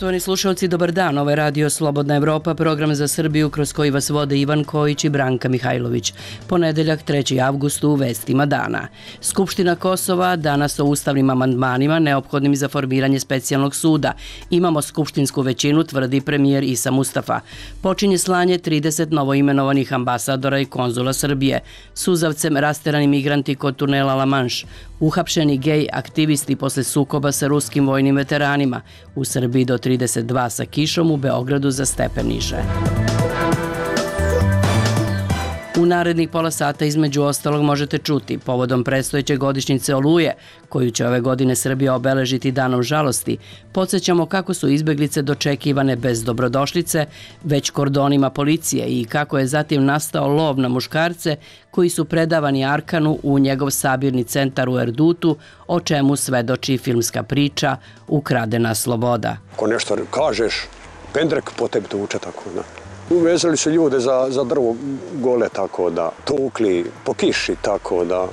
Poštovani slušalci, dobar dan. Ovo je Radio Slobodna Evropa, program za Srbiju kroz koji vas vode Ivan Kojić i Branka Mihajlović. Ponedeljak, 3. avgust u vestima dana. Skupština Kosova danas o ustavnim amandmanima neophodnim za formiranje specijalnog suda. Imamo skupštinsku većinu, tvrdi premijer Isa Mustafa. Počinje slanje 30 novoimenovanih ambasadora i konzula Srbije. Suzavcem rasterani migranti kod tunela La Manche. Uhapšeni gej aktivisti posle sukoba sa ruskim vojnim veteranima. U Srbiji do 32 sa kišom, u Beogradu za stepen niže. U narednih pola sata između ostalog možete čuti povodom predstojeće godišnjice Oluje, koju će ove godine Srbija obeležiti danom žalosti. Podsjećamo kako su izbeglice dočekivane bez dobrodošlice, već kordonima policije i kako je zatim nastao lov na muškarce koji su predavani Arkanu u njegov sabirni centar u Erdutu, o čemu svedoči filmska priča Ukradena sloboda. Ako nešto kažeš, pendrek po tebi tuče, tako da. Uvezali su ljude za drvo gole, tako da, tukli po kiši, tako da.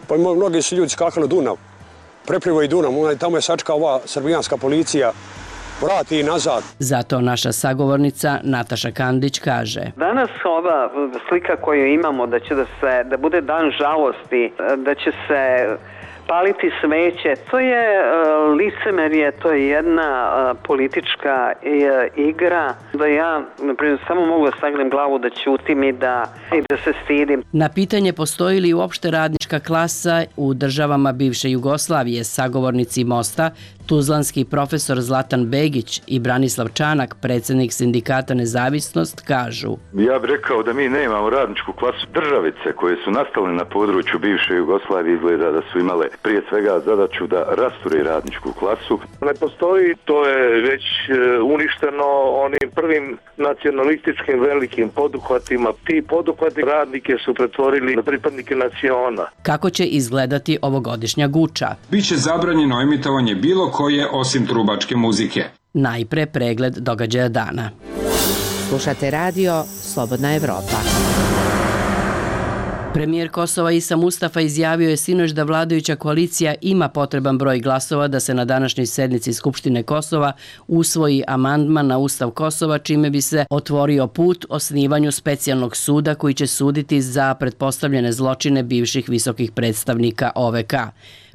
Pa mnogi su ljudi skakali u Dunav, preplivo i Dunav, tamo je sačka ova srbijanska policija, vrati i nazad. Zato naša sagovornica Nataša Kandić kaže: Danas ova slika koju imamo da bude dan žalosti, da će se paliti sveće, to je licemerje, to je jedna politička igra, da ja naprimjer samo mogu da sagnem glavu, da ćutim i da se stidim. Na pitanje postoji li uopšte radnička klasa u državama bivše Jugoslavije, sagovornici Mosta, tuzlanski profesor Zlatan Begić i Branislav Čanak, predsjednik sindikata Nezavisnost, kažu: Ja bih rekao da mi nemamo radničku klasu. Državice koje su nastale na području bivše Jugoslavije izgleda da su imale prije svega zadaću da rasture radničku klasu. Ne postoji, to je već uništeno onim prvim nacionalističkim velikim poduhvatima. Ti poduhvati radnike su pretvorili na pripadnike naciona. Kako će izgledati ovogodišnja Guča? Biće zabranjeno emitovanje bilo koje osim trubačke muzike. Najpre pregled događaja dana. Slušate radio Slobodna Evropa. Premijer Kosova Isa Mustafa izjavio je sinoć da vladajuća koalicija ima potreban broj glasova da se na današnjoj sednici Skupštine Kosova usvoji amandman na Ustav Kosova, čime bi se otvorio put osnivanju specijalnog suda koji će suditi za pretpostavljene zločine bivših visokih predstavnika OVK.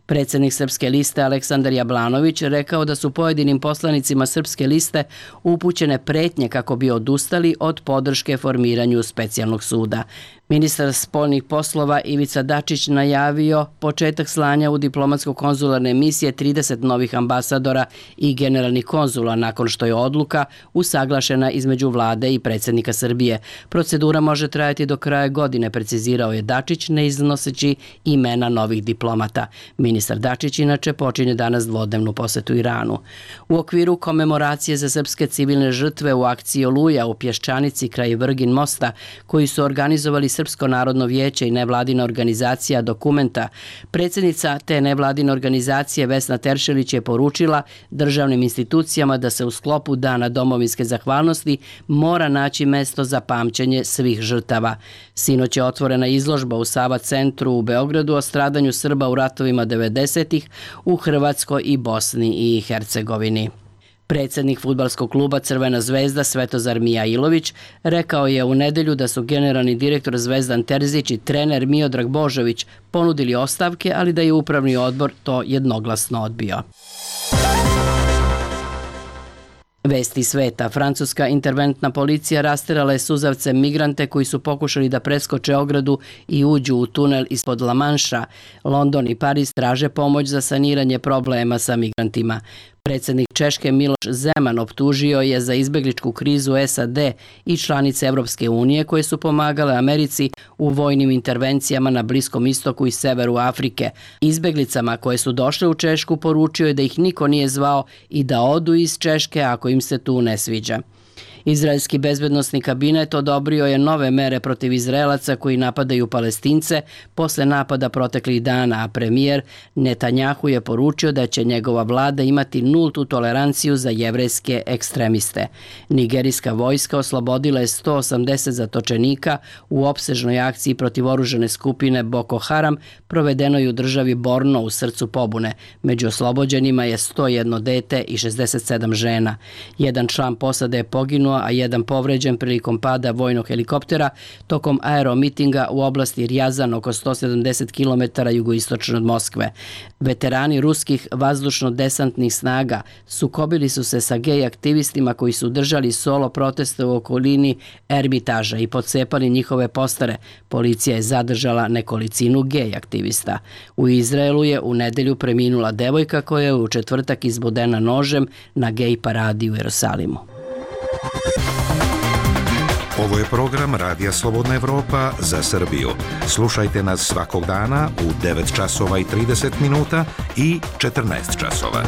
Predsjednik Srpske liste Aleksandar Jablanović rekao da su pojedinim poslanicima Srpske liste upućene pretnje kako bi odustali od podrške formiranju specijalnog suda. Ministar spoljnih poslova Ivica Dačić najavio početak slanja u diplomatsko-konzularne misije 30 novih ambasadora i generalnih konzula nakon što je odluka usaglašena između vlade i predsjednika Srbije. Procedura može trajati do kraja godine, precizirao je Dačić, ne iznoseći imena novih diplomata. Ministar Dačić inače počinje danas dvodnevnu posetu Iranu. U okviru komemoracije za srpske civilne žrtve u akciji Oluja u Pješčanici kraj Vrgin mosta, koji su organizovali Srpsko narodno vijeće i nevladina organizacija Dokumenta, predsjednica te nevladine organizacije Vesna Teršelić je poručila državnim institucijama da se u sklopu Dana domovinske zahvalnosti mora naći mesto za pamćenje svih žrtava. Sinoć je otvorena izložba u Sava centru u Beogradu o stradanju Srba u ratovima 90-ih u Hrvatskoj i Bosni i Hercegovini. Predsjednik fudbalskog kluba Crvena zvezda Svetozar Mijailović rekao je u nedelju da su generalni direktor Zvezdan Terzić i trener Miodrag Božović ponudili ostavke, ali da je upravni odbor to jednoglasno odbio. Vesti sveta. Francuska interventna policija rasterala je suzavcem migrante koji su pokušali da preskoče ogradu i uđu u tunel ispod La Manša. London i Pariz traže pomoć za saniranje problema sa migrantima. Predsjednik Češke Miloš Zeman optužio je za izbegličku krizu SAD i članice Evropske unije koje su pomagale Americi u vojnim intervencijama na Bliskom istoku i severu Afrike. Izbeglicama koje su došle u Češku poručio je da ih niko nije zvao i da odu iz Češke ako im se tu ne sviđa. Izraelski bezbednosni kabinet odobrio je nove mere protiv Izraelaca koji napadaju Palestince posle napada proteklih dana, a premijer Netanjahu je poručio da će njegova vlada imati nultu toleranciju za jevrejske ekstremiste. Nigerijska vojska oslobodila je 180 zatočenika u opsežnoj akciji protiv oružane skupine Boko Haram provedenoj u državi Borno u srcu pobune. Među oslobođenima je 101 dete i 67 žena. Jedan član posade je poginuo, a jedan povređen prilikom pada vojnog helikoptera tokom aeromitinga u oblasti Rjazan oko 170 km jugoistočno od Moskve. Veterani ruskih vazdušno-desantnih snaga sukobili su se sa gej aktivistima koji su držali solo proteste u okolini Ermitaža i pocepali njihove postare. Policija je zadržala nekolicinu gej aktivista. U Izraelu je u nedelju preminula devojka koja je u četvrtak izbodena nožem na gej paradi u Jerusalimu. Ovo je program Radija Slobodna Evropa za Srbiju. Slušajte nas svakog dana u 9 časova i 30 minuta i 14 časova.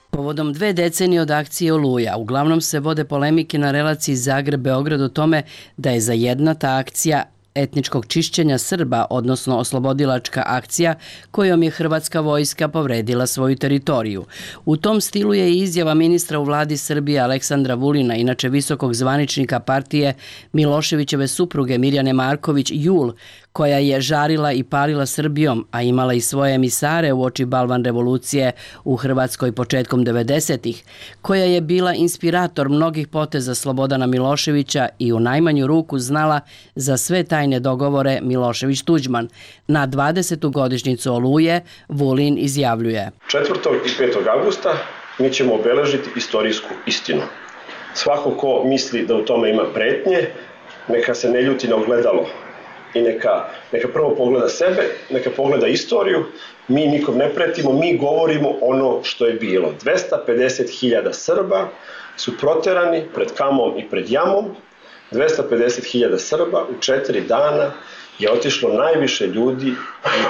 Povodom 2 decenije od akcije Oluja, uglavnom se vode polemike na relaciji Zagreb-Beograd o tome da je za jedna ta akcija etničkog čišćenja Srba, odnosno oslobodilačka akcija kojom je hrvatska vojska povredila svoju teritoriju. U tom stilu je i izjava ministra u vladi Srbije Aleksandra Vulina, inače visokog zvaničnika partije Miloševićeve supruge Mirjane Marković Jul, koja je žarila i palila Srbijom, a imala i svoje emisare u oči balvan revolucije u Hrvatskoj početkom 90-ih, koja je bila inspirator mnogih poteza Slobodana Miloševića i u najmanju ruku znala za sve tajne dogovore Milošević-Tuđman. Na 20. godišnjicu Oluje Vulin izjavljuje: 4. i 5. avgusta mi ćemo obeležiti istorijsku istinu. Svako ko misli da u tome ima pretnje, neka se ne ljuti na ogledalo i neka prvo pogleda sebe, neka pogleda istoriju. Mi nikom ne pretimo, mi govorimo ono što je bilo. 250.000 Srba su proterani pred Kamom i pred Jamom. 250.000 Srba u 4 dana je otišlo najviše ljudi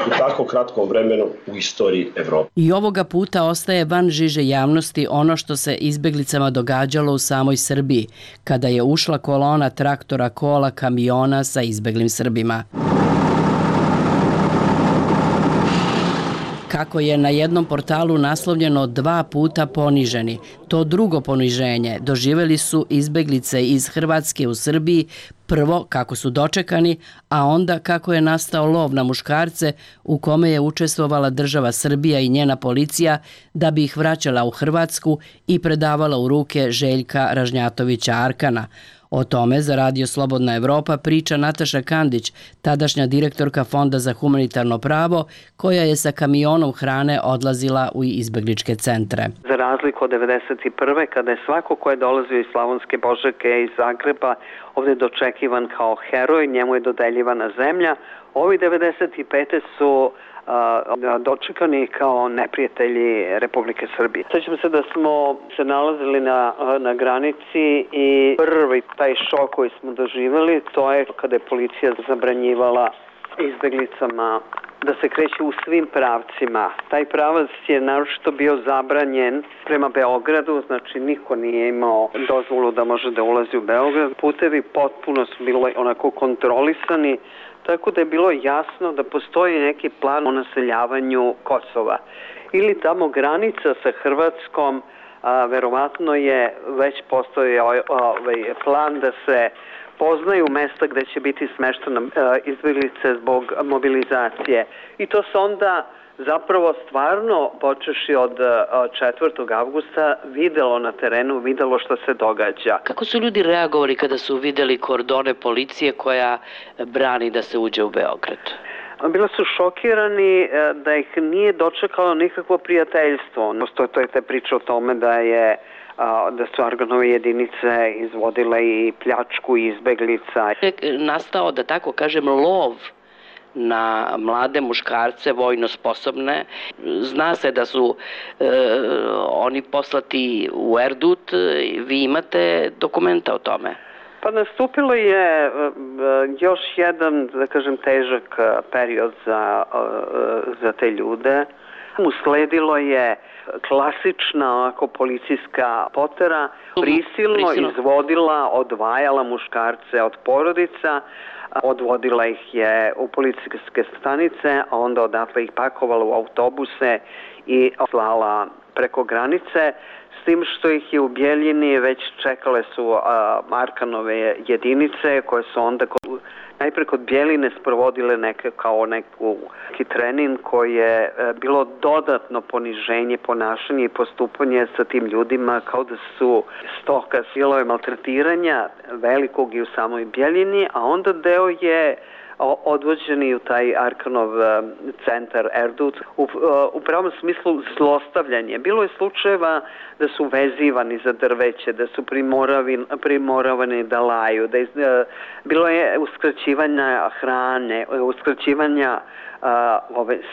u tako kratkom vremenu u istoriji Evrope. I ovoga puta ostaje van žiže javnosti ono što se izbeglicama događalo u samoj Srbiji, kada je ušla kolona traktora, kola, kamiona sa izbeglim Srbima. Kako je na jednom portalu naslovljeno 2 puta poniženi. To drugo poniženje doživjeli su izbeglice iz Hrvatske u Srbiji, prvo kako su dočekani, a onda kako je nastao lov na muškarce u kome je učestvovala država Srbija i njena policija da bi ih vraćala u Hrvatsku i predavala u ruke Željka Ražnjatovića Arkana. O tome za Radio Slobodna Evropa priča Nataša Kandić, tadašnja direktorka Fonda za humanitarno pravo, koja je sa kamionom hrane odlazila u izbegličke centre. Za razliku od 1991. kada je svako ko je dolazio iz Slavonske Požege i iz Zagreba ovdje dočekivan kao heroj, njemu je dodeljivana zemlja, ovi 1995. su dočekani kao neprijatelji Republike Srbije. Sjećam se da smo se nalazili na granici i prvi taj šok koji smo doživjeli, to je kada je policija zabranjivala izbeglicama da se kreće u svim pravcima. Taj pravac je naročito bio zabranjen prema Beogradu, znači niko nije imao dozvolu da može da ulazi u Beograd. Putevi potpuno su bili onako kontrolisani, tako da je bilo jasno da postoji neki plan o naseljavanju Kosova. Ili tamo granica sa Hrvatskom, verovatno je već postojao plan da se poznaju mesta gde će biti smeštene izbeglice zbog mobilizacije. I to se onda zapravo stvarno, počeši od 4. avgusta, videlo na terenu, videlo što se događa. Kako su ljudi reagovali kada su videli kordone policije koja brani da se uđe u Beograd? Bila su šokirani da ih nije dočekalo nikakvo prijateljstvo. Postoje te priče o tome da su Arganove jedinice izvodile i pljačku izbeglica. Nastao, da tako kažem, lov na mlade muškarce, vojno sposobne. Zna se da su oni poslati u Erdut. Vi imate dokumenta o tome? Pa nastupilo je još jedan, da kažem, težak period za te ljude. Usledilo je klasična onako policijska potera, prisilno izvodila, odvajala muškarce od porodica, odvodila ih je u policijske stanice, a onda odatle ih pakovala u autobuse i slala preko granice, s tim što ih je u Bjeljini već čekale su Arkanove jedinice koje su onda najpre kod Bjeline sprovodile neki trening koji je bilo dodatno poniženje, ponašanje i postupanje sa tim ljudima kao da su stoka, silove maltretiranja velikog i u samoj Bjeljini, a onda deo je odvođeni u taj Arkanov centar Erdut u pravom smislu zlostavljanje. Bilo je slučajeva da su vezivani za drveće, da su primoravani da laju, bilo je uskraćivanja hrane, uskraćivanja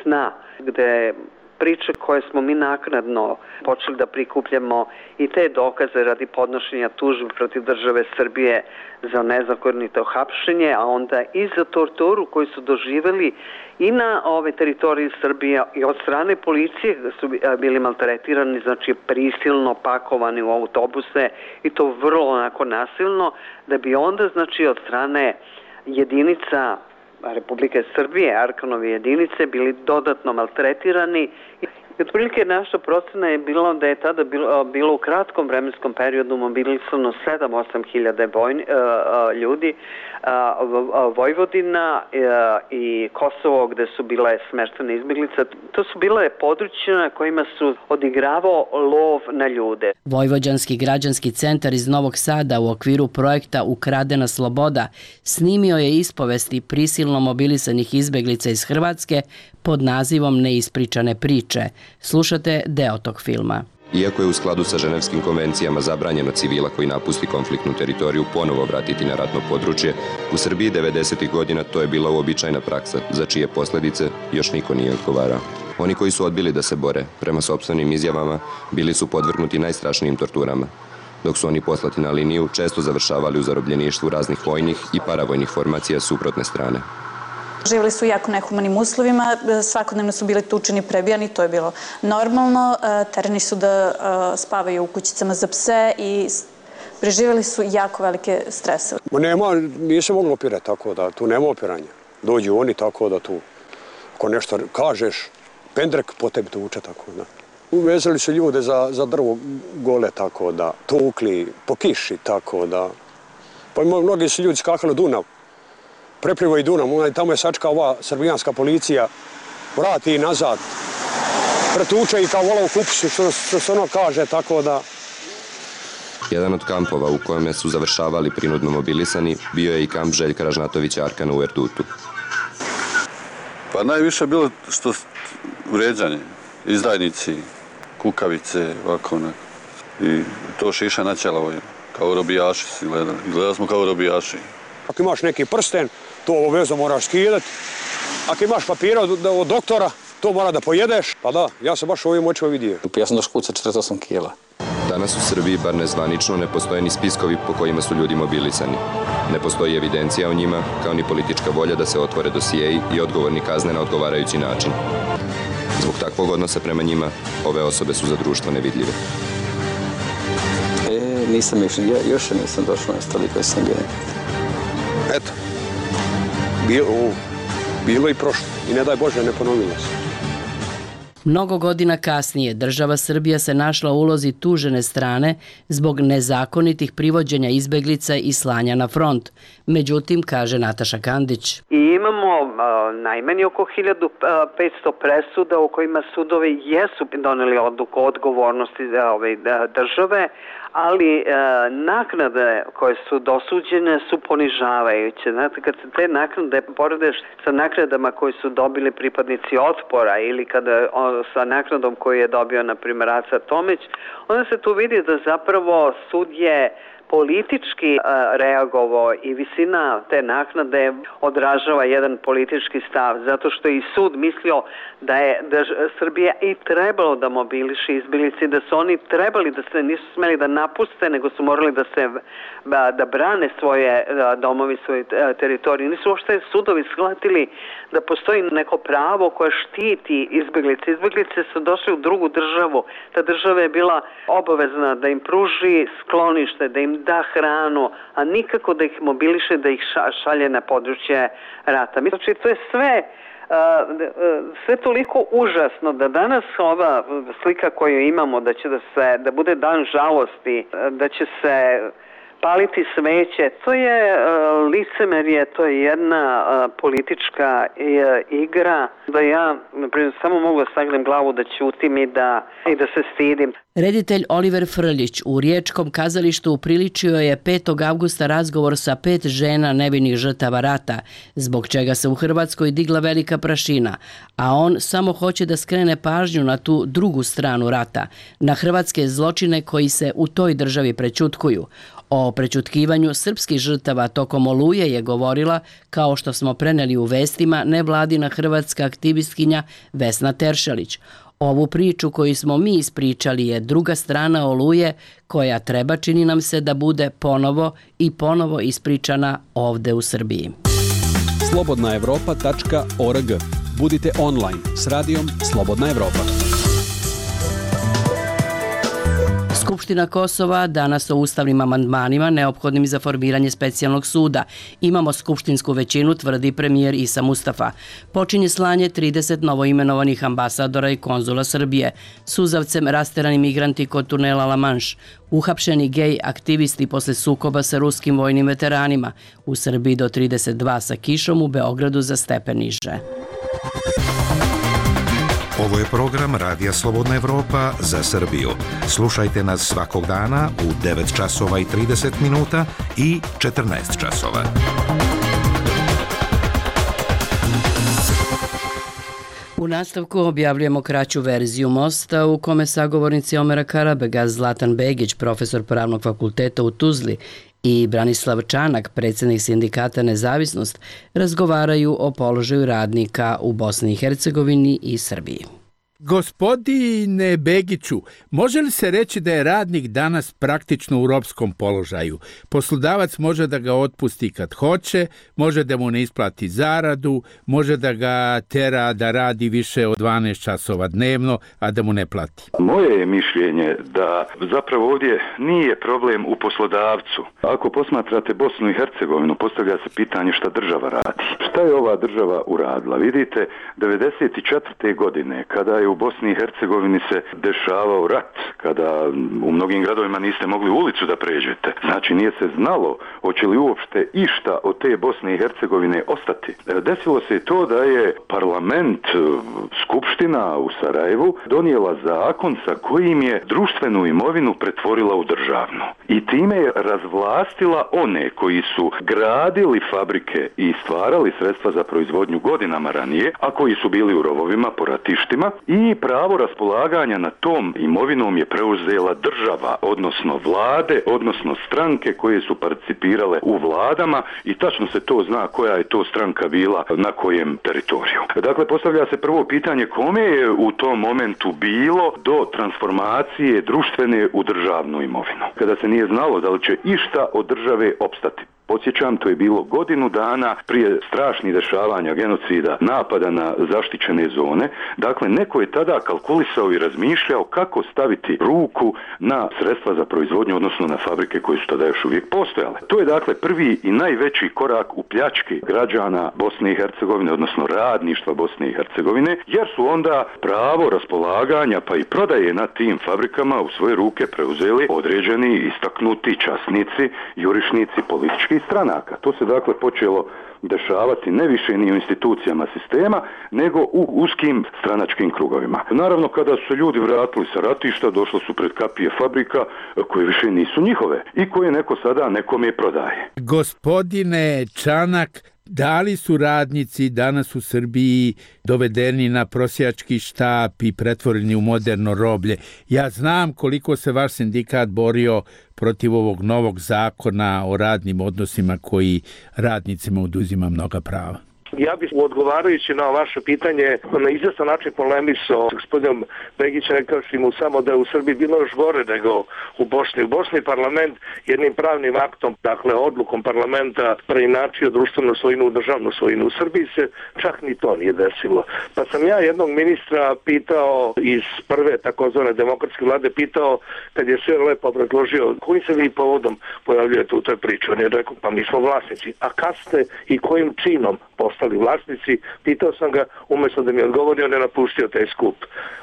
sna, gde priče koje smo mi naknadno počeli da prikupljamo i te dokaze radi podnošenja tužbi protiv države Srbije za nezakonito hapšenje, a onda i za torturu koju su doživeli i na ove teritorije Srbije i od strane policije da su bili maltretirani, znači prisilno pakovani u autobuse i to vrlo onako nasilno, da bi onda znači od strane jedinica Republike Srbije, Arkanove jedinice, bili dodatno maltretirani. I otprilike naša procena je bila da je tada bilo u kratkom vremenskom periodu mobilisano 7-8 hiljada ljudi, Vojvodina i Kosovo gde su bile smeštene izbjeglice. To su bile područja na kojima su odigravao lov na ljude. Vojvođanski građanski centar iz Novog Sada u okviru projekta Ukradena sloboda snimio je ispovesti prisilno mobilisanih izbjeglica iz Hrvatske pod nazivom Neispričane priče. Slušate deo tog filma. Iako je u skladu sa ženevskim konvencijama zabranjeno civila koji napusti konfliktnu teritoriju ponovo vratiti na ratno područje, u Srbiji 90. godina to je bila uobičajena praksa, za čije posljedice još niko nije odgovarao. Oni koji su odbili da se bore, prema sopstvenim izjavama, bili su podvrgnuti najstrašnijim torturama. Dok su oni poslati na liniju, često završavali u zarobljeništvu raznih vojnih i paravojnih formacija suprotne strane. Živjeli su u jako nehumanim uslovima, svakodnevno su bili tučeni, prebijani, to je bilo normalno. Terani su da spavaju u kućicama za pse i preživjeli su jako velike stresove. Nije se moglo opirati tako da tu nema opiranja. Dođu oni tako da tu, ako nešto kažeš, pendrek po tebi tuče tako da. Uvezali su ljude za drvo gole tako da, tukli po kiši tako da. Pa mnogi su ljudi skakali Dunav. Preplivo i Dunav, tamo je sačka ova srbijanska policija, vrati i nazad, pretuče i kao vola u kupisu, što se ono kaže, tako da... Jedan od kampova u kojem su završavali prinudno mobilisani bio je i kamp Željka Ražnatovića Arkana u Erdutu. Pa najviše je bilo što vređanje, izdajnici, kukavice, ovako onako. I to šiša na ćela, kao robijaši si gledali. Gledali smo kao robijaši. Ako imaš neki prsten, to obavezno moraš skidati. Ako imaš papira od doktora, to mora da pojedeš. Pa da, ja sam baš ovim očima vidio. Ja sam došao kuca 48 kila. Danas u Srbiji, bar nezvanično, ne postoje ni spiskovi po kojima su ljudi mobilisani. Ne postoji evidencija o njima, kao ni politička volja da se otvore dosijeji i odgovorni kazne na odgovarajući način. Zbog takvog odnosa prema njima, ove osobe su za društvo nevidljive. Nisam još nisam došao na stvari koje sam bio. Eto, bilo i prošlo i ne daj Bože ne ponovilo se. Mnogo godina kasnije država Srbija se našla u ulozi tužene strane zbog nezakonitih privođenja izbeglica i slanja na front. Međutim, kaže Nataša Kandić. I imamo najmanje oko 1500 presuda u kojima sudovi jesu doneli odluku o odgovornosti države, ali naknade koje su dosuđene su ponižavajuće. Znate, kad se te naknade poredeš sa naknadama koje su dobili pripadnici Otpora ili sa naknadom koju je dobio, na primjer, Aca Tomić, onda se tu vidi da zapravo sud je politički reagovao i visina te naknade odražava jedan politički stav, zato što je i sud mislio da Srbija i trebalo da mobiliše izbjeglice, da su oni trebali da se nisu smeli da napuste, nego su morali da brane svoje domovi, svoje teritorije. Nisu uopšte sudovi shvatili da postoji neko pravo koje štiti izbjeglice. Izbjeglice su došli u drugu državu. Ta država je bila obavezna da im pruži sklonište, da im da hranu, a nikako da ih mobiliše, da ih šalje na područje rata. Znači, to je sve toliko užasno da danas ova slika koju imamo da bude dan žalosti, da će se paliti sveće, to je licemerje, to je jedna politička igra, da ja samo mogu da sagnem glavu, da ćutim i da se stidim. Reditelj Oliver Frljić u Riječkom kazalištu upriličio je 5. avgusta razgovor sa 5 žena nevinih žrtava rata, zbog čega se u Hrvatskoj digla velika prašina, a on samo hoće da skrene pažnju na tu drugu stranu rata, na hrvatske zločine koji se u toj državi prećutkuju. O prećutkivanju srpskih žrtava tokom Oluje je govorila, kao što smo preneli u vestima, nevladina hrvatska aktivistkinja Vesna Teršelić. Ovu priču koju smo mi ispričali je druga strana Oluje, koja treba, čini nam se, da bude ponovo ispričana ovde u Srbiji. slobodnaevropa.org. Budite online s radijom Slobodna Evropa. Skupština Kosova danas o ustavnim amandmanima neophodnim za formiranje specijalnog suda. Imamo skupštinsku većinu, tvrdi premijer Isa Mustafa. Počinje slanje 30 novoimenovanih ambasadora i konzula Srbije. Suzavcem rasterani migranti kod tunela La Manche. Uhapšeni gej aktivisti posle sukoba sa ruskim vojnim veteranima. U Srbiji do 32 sa kišom, u Beogradu za stepen niže. Ovo je program Radija Slobodna Evropa za Srbiju. Slušajte nas svakog dana u 9 časova i 30 minuta i 14 časova. U nastavku objavljujemo kraću verziju mosta u kome sagovornici Omera Karabega, Zlatan Begić, profesor Pravnog fakulteta u Tuzli, i Branislav Čanak, predsjednik sindikata Nezavisnost, razgovaraju o položaju radnika u Bosni i Hercegovini i Srbiji. Gospodine Begiću, može li se reći da je radnik danas praktično u ropskom položaju? Poslodavac može da ga otpusti kad hoće, može da mu ne isplati zaradu, može da ga tera da radi više od 12 časova dnevno, a da mu ne plati. Moje je mišljenje da zapravo ovdje nije problem u poslodavcu. Ako posmatrate Bosnu i Hercegovinu, postavlja se pitanje šta država radi. Šta je ova država uradila? Vidite, 1994. godine, kada je u Bosni i Hercegovini se dešavao rat, kada u mnogim gradovima niste mogli ulicu da pređete. Znači nije se znalo hoće li uopšte išta od te Bosne i Hercegovine ostati. Desilo se to da je parlament, skupština u Sarajevu donijela zakon sa kojim je društvenu imovinu pretvorila u državnu. I time je razvlastila one koji su gradili fabrike i stvarali sredstva za proizvodnju godinama ranije, a koji su bili u rovovima po ratištima, i pravo raspolaganja na tom imovinom je preuzela država, odnosno vlade, odnosno stranke koje su participirale u vladama, i tačno se to zna koja je to stranka bila na kojem teritoriju. Dakle, postavlja se prvo pitanje kome je u tom momentu bilo do transformacije društvene u državnu imovinu, kada se nije znalo da li će išta od države opstati. Podsjećam, to je bilo godinu dana prije strašnih dešavanja, genocida, napada na zaštićene zone. Dakle, neko je tada kalkulisao i razmišljao kako staviti ruku na sredstva za proizvodnju, odnosno na fabrike koje su tada još uvijek postojale. To je dakle prvi i najveći korak u pljački građana Bosne i Hercegovine, odnosno radništva Bosne i Hercegovine, jer su onda pravo raspolaganja pa i prodaje na tim fabrikama u svoje ruke preuzeli određeni istaknuti časnici, jurišnici, politički stranaka. To se dakle počelo dešavati ne više ni u institucijama sistema, nego u uskim stranačkim krugovima. Naravno, kada su se ljudi vratili sa ratišta, došlo su pred kapije fabrika koje više nisu njihove i koje neko sada nekome prodaje. Gospodine Čanak, Da li su radnici danas u Srbiji dovedeni na prosjački štap i pretvoreni u moderno roblje? Ja znam koliko se vaš sindikat borio protiv ovog novog zakona o radnim odnosima koji radnicima oduzima mnoga prava. Ja bih odgovarajući na vaše pitanje na izvestan način polemisao s gospodinom Begićem, rekavši mu samo da je u Srbiji bilo još gore nego u Bosni. U Bosni parlament jednim pravnim aktom, dakle odlukom parlamenta, preinačio društvenu svojinu u državnu svojinu. U Srbiji se čak ni to nije desilo. Pa sam ja jednog ministra pitao iz prve takozvane demokratske vlade, pitao kad je sve lepo obrazložio kojim se vi povodom pojavljujete u toj priči. On je rekao, pa mi smo vlasnici. A kad ste i kojim činom postali vlasnici? Pitao sam ga, umjesto da mi odgovori, on je napustio taj skup.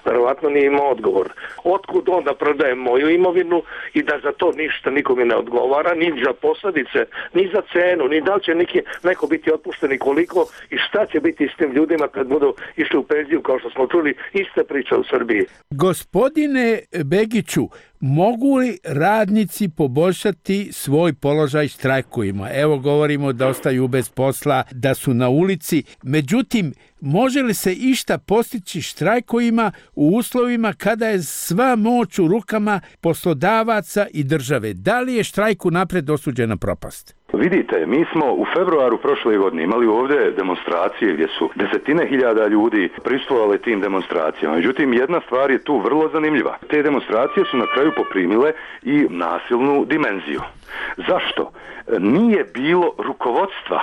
Verovatno nije imao odgovor. Otkud onda prodajem moju imovinu i da za to ništa nikome ne odgovara, ni za posljedice, ni za cenu, ni da li će neko biti otpušten i koliko i šta će biti s tim ljudima kad budu išli u penziju, kao što smo čuli, ista priča u Srbiji. Gospodine Begiću, mogu li radnici poboljšati svoj položaj štrajkovima? Evo govorimo da ostaju bez posla, da su na ulici. Međutim, može li se išta postići štrajkovima u uslovima kada je sva moć u rukama poslodavaca i države? Da li je štrajk unaprijed osuđena propast? Vidite, mi smo u februaru prošle godine imali ovdje demonstracije gdje su desetine hiljada ljudi prisustvovali tim demonstracijama. Međutim, jedna stvar je tu vrlo zanimljiva. Te demonstracije su na kraju poprimile i nasilnu dimenziju. Zašto? Nije bilo rukovodstva.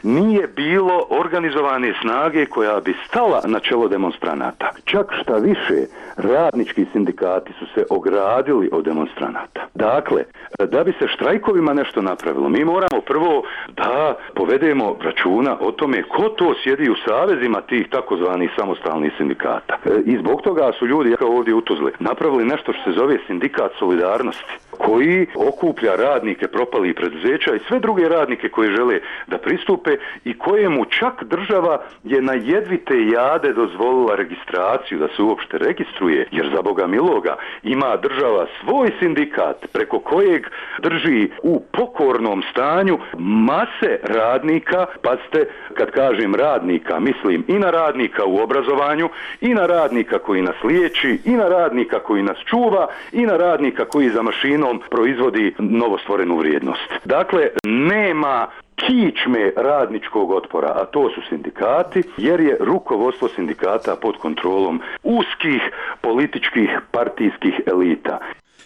Nije bilo organizovane snage koja bi stala na čelo demonstranata. Čak šta više, radnički sindikati su se ogradili od demonstranata. Dakle, da bi se štrajkovima nešto napravilo, mi moramo prvo da povedemo računa o tome ko to sjedi u savezima tih takozvanih samostalnih sindikata. I zbog toga su ljudi, kao ovdje u Tuzli, napravili nešto što se zove sindikat solidarnosti, koji okuplja radnike propalih preduzeća i sve druge radnike koji žele da pristupe i kojemu čak država je na jedvite jade dozvolila registraciju, da se uopšte registruje, jer za Boga miloga ima država svoj sindikat preko kojeg drži u pokornom stanju mase radnika. Pazite, kad kažem radnika, mislim i na radnika u obrazovanju, i na radnika koji nas liječi, i na radnika koji nas čuva, i na radnika koji za mašinom proizvodi novostvorenu vrijednost. Dakle, nema kičme radničkog otpora, a to su sindikati, jer je rukovodstvo sindikata pod kontrolom uskih političkih partijskih elita.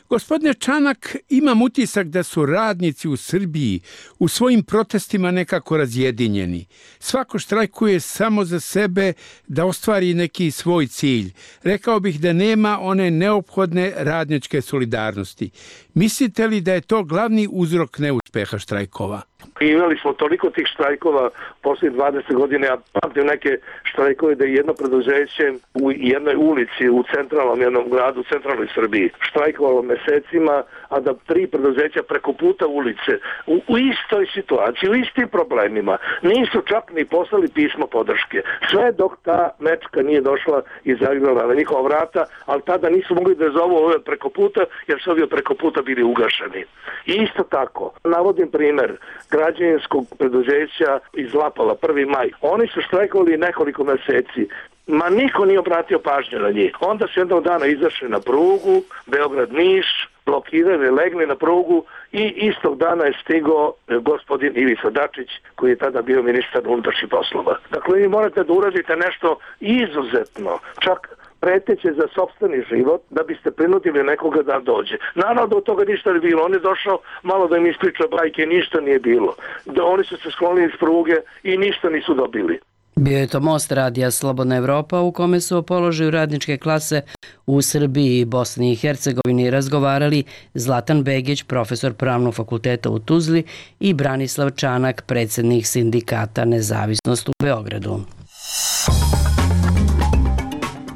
Gospodine Čanak, imam utisak da su radnici u Srbiji u svojim protestima nekako razjedinjeni. Svako štrajkuje samo za sebe da ostvari neki svoj cilj. Rekao bih da nema one neophodne radničke solidarnosti. Mislite li da je to glavni uzrok neuspeha štrajkova? Imali smo toliko tih štrajkova poslije 20 godina, ja pamtim neke štrajkove da je jedno preduzeće u jednoj ulici u centralnom jednom gradu u centralnoj Srbiji štrajkovalo mesecima, a da 3 preduzeća preko puta ulice u istoj situaciji, u istim problemima nisu čak ni poslali pismo podrške. Sve dok ta mečka nije došla i zagrala na njihova vrata, ali tada nisu mogli da zovu ove preko puta jer su ovi preko puta bili ugašeni. I isto tako, navodim primjer građevinskog preduzeća iz Lapala, 1. maj. Oni su štrajkovali nekoliko meseci. Ma niko nije obratio pažnju na njih. Onda su jednog dana izašli na prugu, Beograd-Niš, blokirali, legli na prugu i istog dana je stigao gospodin Ivica Dačić, koji je tada bio ministar unutrašnjih poslova. Dakle, vi morate da uradite nešto izuzetno, čak preteće za sopstveni život, da biste prinudili nekoga da dođe. Naravno da od toga ništa ne bilo. On je došao malo da im ispriča bajke, ništa nije bilo. Da oni su se sklonili iz pruge i ništa nisu dobili. Bio je to Most radija Slobodna Evropa u kome su o položaju radničke klase u Srbiji i Bosni i Hercegovini razgovarali Zlatan Begić, profesor Pravnog fakulteta u Tuzli, i Branislav Čanak, predsjednik sindikata Nezavisnost u Beogradu.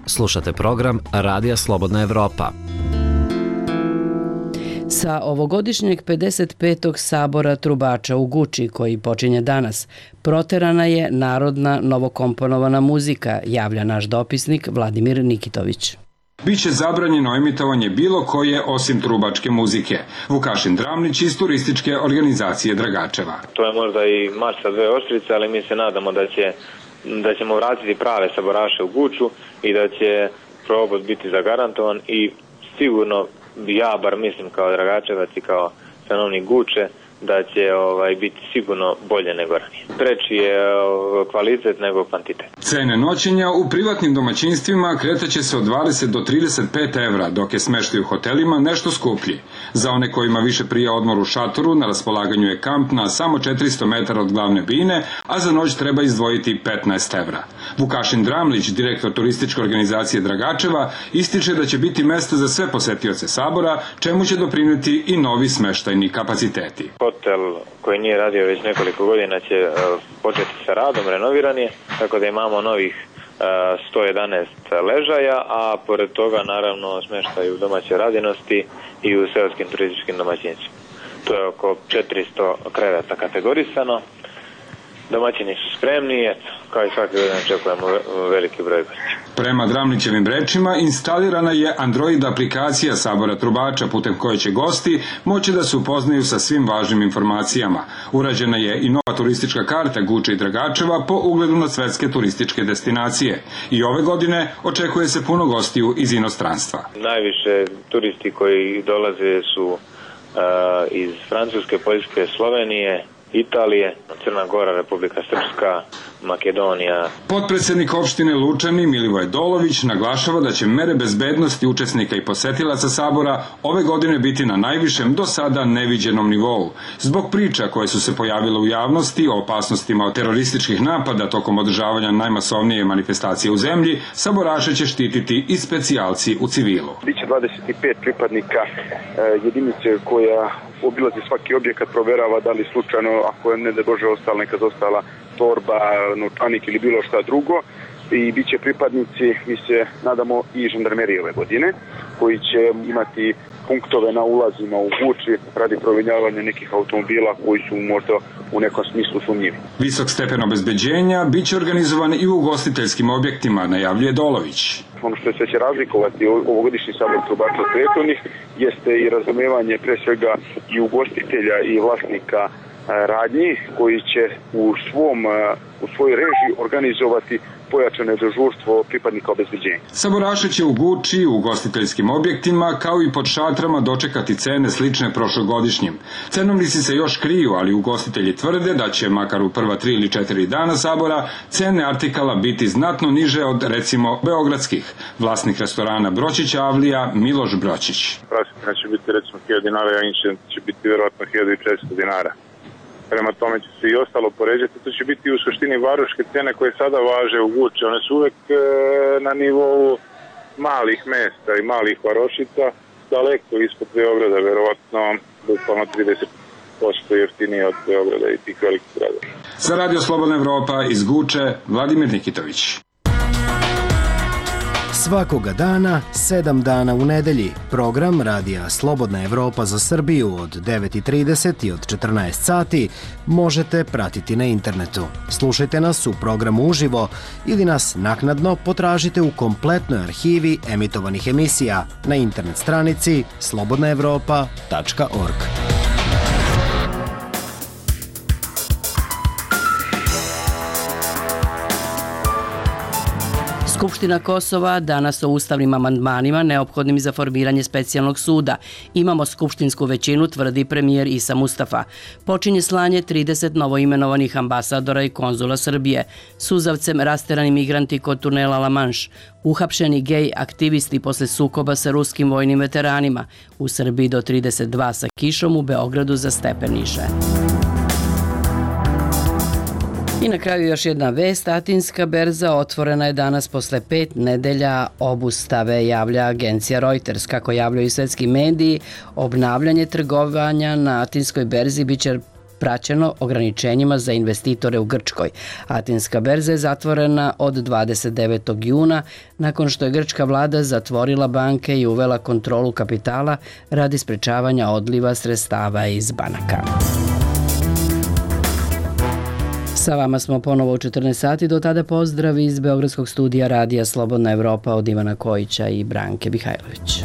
Slušate program Radija Slobodna Evropa. Sa ovogodišnjeg 55. sabora trubača u Guči, koji počinje danas, proterana je narodna novokomponovana muzika, javlja naš dopisnik Vladimir Nikitović. Biće zabranjeno emitovanje bilo koje osim trubačke muzike. Vukašin Dramlić iz turističke organizacije Dragačeva. To je možda i mač sa dve oštrice, ali mi se nadamo da ćemo vratiti prave saboraše u Guču i da će probod biti zagarantovan i sigurno ja bar mislim kao Dragačevac i kao stanovnik Guče da će biti sigurno bolje nego ranije. Preči je kvalitet nego kvantitet. Cene noćenja u privatnim domaćinstvima kretaće se od 20 do 35 evra, dok je smeštaj u hotelima nešto skuplji. Za one kojima više prija odmor u šatoru, na raspolaganju je kamp na samo 400 metara od glavne bine, a za noć treba izdvojiti 15 evra. Vukašin Dramlić, direktor turističke organizacije Dragačeva, ističe da će biti mesta za sve posetioce Sabora, čemu će doprineti i novi smeštajni kapaciteti. Hotel koji nije radio već nekoliko godina će početi sa radom, renoviran je, tako da imamo novih 111 ležaja, a pored toga naravno smeštaj u domaćoj radinosti i u seoskim turističkim domaćinstvima. To je oko 400 kreveta kategorisano. Domaćini su spremni, kao i svaki godin očekujemo veliki broj gostiju. Prema Dramlićevim rečima, instalirana je Android aplikacija Sabora Trubača putem koje će gosti moći da se upoznaju sa svim važnim informacijama. Urađena je i nova turistička karta Guče i Dragačeva po ugledu na svetske turističke destinacije. I ove godine očekuje se puno gostiju iz inostranstva. Najviše turisti koji dolaze su iz Francuske, Poljske, Slovenije, Italije, Crna Gora, Republika Srpska, Makedonija. Potpredsednik opštine Lučani Milivoj Dolović naglašava da će mere bezbednosti učesnika i posetilaca Sabora ove godine biti na najvišem do sada neviđenom nivou. Zbog priča koje su se pojavile u javnosti o opasnostima od terorističkih napada tokom održavanja najmasovnije manifestacije u zemlji, saboraše će štititi i specijalci u civilu. Biće 25 pripadnika jedinice koja obilazi svaki objekat, proverava da li slučajno, ako je ne da Bože ostala neka zostala torba, novčanik ili bilo šta drugo, i bit će pripadnici, mi se nadamo, i žandarmerije ove godine, koji će imati punktove na ulazima u Guči radi provinjavanja nekih automobila koji su možda u nekom smislu sumnjivi. Visok stepen obezbeđenja biće organizovan i u ugostiteljskim objektima, najavljuje Dolović. Ono što se će razlikovati ovogodišnji Sabor Trubača od prethodnih jeste i razumevanje pre svega i ugostitelja i vlasnika radnji koji će u svojoj režiji organizovati pojačane dežurstvo pripadnika obezbeđenja. Saboraše će u Guči, u ugostiteljskim objektima, kao i pod šatrama dočekati cene slične prošlogodišnjim. Cenovnici se još kriju, ali ugostitelji tvrde da će, makar u prva 3 ili 4 dana Sabora, cene artikala biti znatno niže od, recimo, beogradskih. Vlasnik restorana Bročić Avlija, Miloš Bročić. Prosjetina će biti recimo 1000 dinara, a inče će biti vjerojatno 1400 dinara. Prema tome će se i ostalo poređati. To će biti u suštini varoške cene koje sada važe u Guči. One su uvek na nivou malih mesta i malih varošica, daleko ispod Beograda, verovatno bukvalno 30% jeftinije od Beograda i tih velikih gradova. Za Radio Slobodna Evropa iz Guče, Vladimir Nikitović. Svakoga dana, 7 dana u nedelji, program Radija Slobodna Evropa za Srbiju od 9:30 i od 14 sati možete pratiti na internetu. Slušajte nas u programu uživo ili nas naknadno potražite u kompletnoj arhivi emitovanih emisija na internet stranici slobodnaevropa.org. Skupština Kosova danas o ustavnim amandmanima neophodnim za formiranje specijalnog suda. Imamo skupštinsku većinu, tvrdi premijer Isa Mustafa. Počinje slanje 30 novoimenovanih ambasadora i konzula Srbije. Suzavcem rasterani migranti kod tunela La Manš. Uhapšeni gej aktivisti posle sukoba sa ruskim vojnim veteranima. U Srbiji do 32 sa kišom, u Beogradu za stepeniše. I na kraju još jedna vest. Atinska berza otvorena je danas posle 5 nedelja obustave, javlja agencija Reuters. Kako javljaju svetski mediji, obnavljanje trgovanja na Atinskoj berzi biće praćeno ograničenjima za investitore u Grčkoj. Atinska berza je zatvorena od 29. juna nakon što je grčka vlada zatvorila banke i uvela kontrolu kapitala radi sprečavanja odliva sredstava iz banaka. Sa vama smo ponovo u 14 sati, do tada pozdrav iz Beogradskog studija Radija Slobodna Evropa od Ivana Kojića i Branke Mihajlović.